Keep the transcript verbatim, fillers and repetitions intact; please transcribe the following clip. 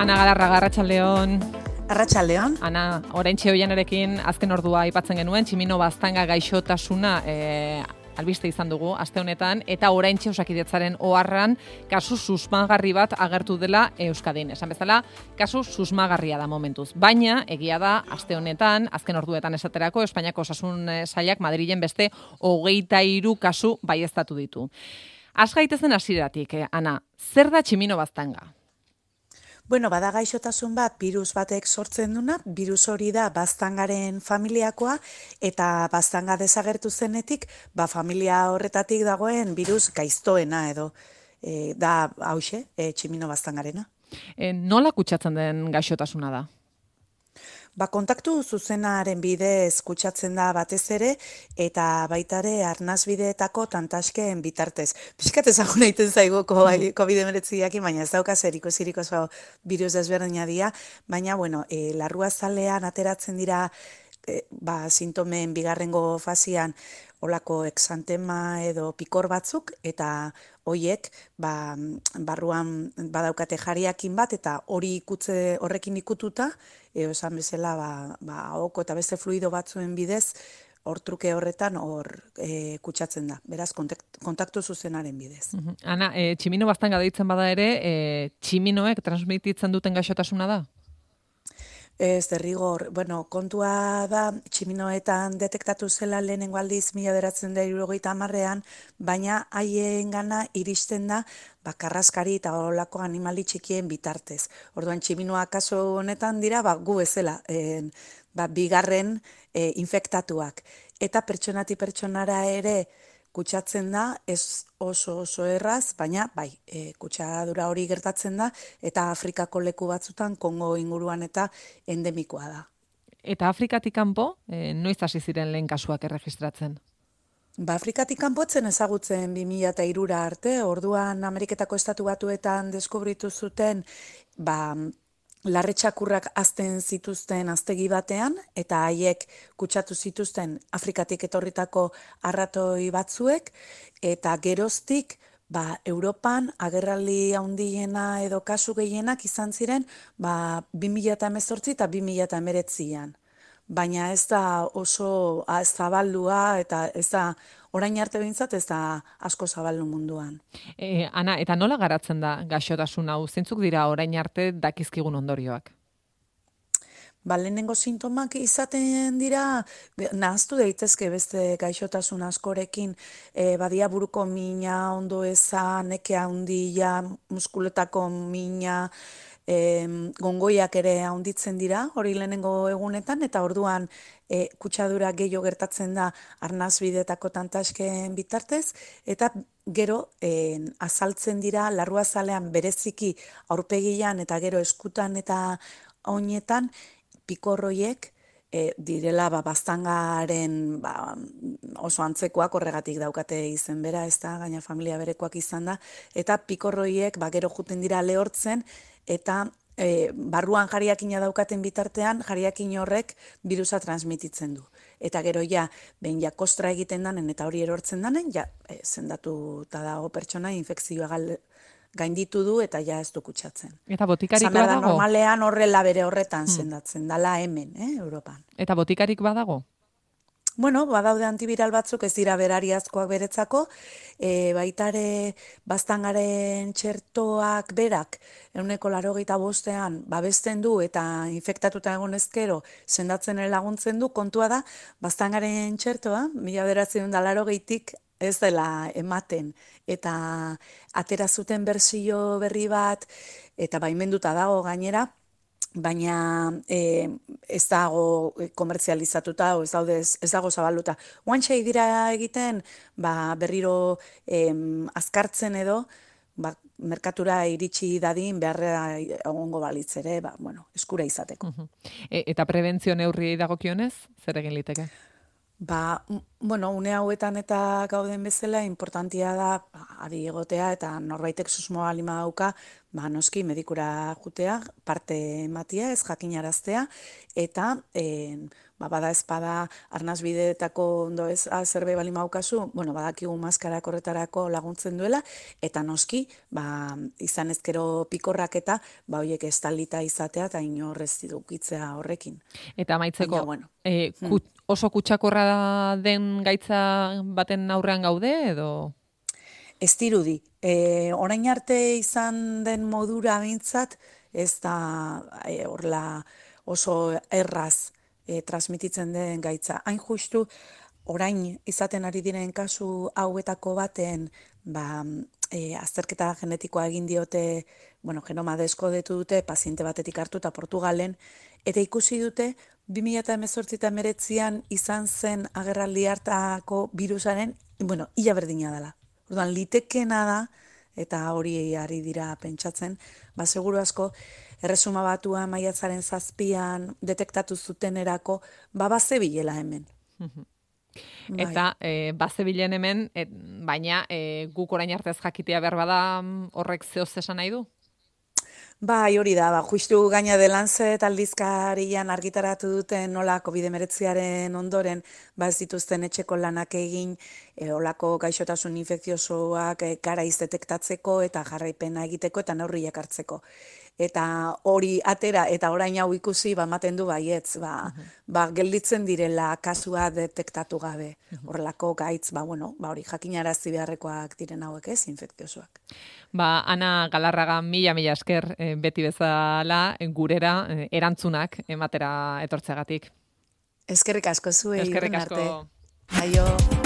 Ana Galarraga, arratsaldeon. Arratsaldeon. Ana, oraintxe Oianarekin azken ordua aipatzen genuen, tximino baztanga gaixotasuna e, albiste izan dugu aste honetan, eta oraintxe Osakidetzaren oharran kasu susmagarri bat agertu dela Euskadin. Esan bezala, kasu susmagarria da momentuz. Baina, egia da, aste honetan, azken orduetan esaterako, Espainiako Osasun Sailak Madrilen beste hogeita hiru kasu baieztatu ditu. Az gaitezen hasieratik, eh, Ana, zer da tximino baztanga? Bueno, bada gaixotasun bat, birus batek sortzen duna, birus hori da baztangaren familiakoa, eta baztanga desagertu zenetik, ba familia horretatik dagoen birus gaiztoena edo, e, da hauxe, e, tximino baztangarena. E, nola kutsatzen den gaixotasuna da? Ba, kontaktu zuzenaren bidez kutsatzen da batez ere, eta baita ere arnasbideetako tantasken bitartez. Piskat ezaguna egiten zaigu covid hemeretziakin, baina ez dauka zer ikusirik oso birus desberdina dira, baina, bueno, e, larruazalean ateratzen dira e, ba, sintomen bigarrengo fasian olako exantema edo pikor batzuk, eta hoiek ba, barruan badaukate jariakin bat, eta hori ikutze horrekin ikututa, eo esan bezala ba, ba, ahoko eta beste fluido batzuen bidez, hor truke horretan hor e, kutsatzen da, beraz kontaktu zuzenaren bidez. Uh-huh. Ana, e, tximino baztanga deitzen bada ere, e, tximinoek transmititzen duten gaixotasuna da? Ez, derrigor, bueno, kontua da, tximinoetan detektatu zela lehenengo aldiz mila bederatziehun eta hirurogeita hamarrean, baina haien gana iristen da ba, karraskari eta olako animali txikien bitartez. Orduan, tximinoa kaso honetan dira, ba, gu bezala, e, ba, bigarren e, infektatuak. Eta pertsonati pertsonara ere kutsatzen da, ez oso oso erraz, baina bai, e, kutsadura hori gertatzen da, eta Afrikako leku batzutan, Kongo inguruan eta endemikoa da. Eta Afrikatik kanpo, e, noiz hasi ziren lehen kasuak erregistratzen? Ba, Afrikatik kanpotzen ezagutzen bi mila hirura arte, orduan Ameriketako Estatu Batuetan deskubritu zuten, ba, larretxakurrak azten zituzten aztegi batean, eta haiek kutsatu zituzten Afrikatik etorritako arratoi batzuek, eta geroztik ba, Europan agerraldi handiena edo kasu gehienak izan ziren ba, bi mila hemezortzi eta bi mila hemeretzian. Baina ez da oso zabaldua eta ez da orain arte behintzat ez da asko zabaldu munduan. E, Ana, eta nola garatzen da gaixotasun hau? Zeintzuk dira orain arte dakizkigun ondorioak? Ba, lehenengo sintomak izaten dira, nahaztu daitezke beste gaixotasun askorekin, e, badia buruko mina, ondo eza, neke handia, muskuletako mina, E, gongoiak ere handitzen dira, hori lehenengo egunetan, eta orduan e, kutsadura gehiago gertatzen da arnasbideetako tantasken bitartez, eta gero e, azaltzen dira larruazalean bereziki aurpegian eta gero eskutan eta oinetan pikorroiek e, direla ba, baztangaren ba, oso antzekoak horregatik daukate izen bera, ez da, gaina familia berekoak izan da, eta pikorroiek ba, gero juten dira lehortzen, eta e, barruan jariakina daukaten bitartean, jariakin horrek birusa transmititzen du. Eta gero ja, behin ja kostra egiten danen eta hori erortzen danen, ja e, zendatu eta dago pertsona infekzioa gal, gainditu du eta ja ez du kutsatzen. Eta botikarik badago? Normalean horrela bere horretan hmm. sendatzen, dala hemen, eh, Europan. Eta botikarik badago? Bueno, badaude antiviral batzuk ez dira berariazkoak beretzako, e, baitare baztangaren txertoak berak, ehuneko laurogeita bostean babesten du eta infektatuta egon ezkero sendatzen laguntzen du, kontua da, baztangaren txertoa, mila bederatziehun eta laurogeitik ez dela ematen, eta atera zuten berzio berri bat, eta baimenduta dago gainera, baina e, ez dago komertzializatuta, o ez, daude, ez dago zabalduta. Oantxe dira egiten, ba, berriro em, azkartzen edo, ba, merkatura iritsi dadin beharra egongo balitz ere, ba, bueno, eskura izateko. Uh-huh. E, eta prebentzio neurriei dagokionez, zer egin liteke? Ba, bueno, une hauetan eta gauden bezala, importantia da, ba, adi egotea eta norbaitek susmoa lima dauka, ba, noski medikura jutea, parte ematia, ez jakinaraztea, eta e, ba, bada ezpada arnasbideetako ondo ez zerbait bali maukazu, bueno, badakigu maskarak horretarako laguntzen duela, eta noski, ba, izan ezkero pikorrak eta, ba, horiek estalita izatea, eta inorrez dukitzea horrekin. Eta amaitzeko, Baina, bueno, e, kut, oso kutsakorra den gaitza baten aurrean gaude, edo? Ez dirudi. E, orain arte izan den modura bintzat, ez da e, orla oso erraz e, transmititzen den gaitza. Hain justu, orain izaten ari diren kasu hauetako baten, ba, e, azterketa genetikoa egin diote, bueno, genoma deskodetu dute, paziente batetik hartu eta Portugalen, eta ikusi dute, bi mila hemezortzi eta hemeretzian izan zen agerraldi hartako virusaren, bueno, ia berdina dela. Orduan, litekena da, eta hori ari dira pentsatzen, ba, seguru asko, erresuma batua maiatzaren zazpian detektatu zutenerako, ba, bazebilela hemen. Eta e, bazebilen hemen, et, baina e, guk orain artez jakitea behar bada horrek zehoz esan nahi du? Bai, hori da, ba, justu gaina de Lancet aldizkarian argitaratu duten nola covid hemeretziaren ondoren, ba ez dituzten etxeko lanak egin, e, olako gaixotasun infekziosoak e, garaiz detektatzeko eta jarraipena egiteko eta neurriak hartzeko. Eta hori atera eta orain hau ikusi, ba, ematen du baietz, ba, uh-huh. ba, gelditzen direla kasua detektatu gabe. Horrelako gaitz, ba, bueno, ba, hori jakinarazi beharrekoak diren hauek ez, infekziosoak. Ba, Ana Galarraga, mila, mila esker, e, beti bezala, gurera, e, erantzunak ematera etortzeagatik. Eskerrik asko zuei. Eskerrik asko. Aio.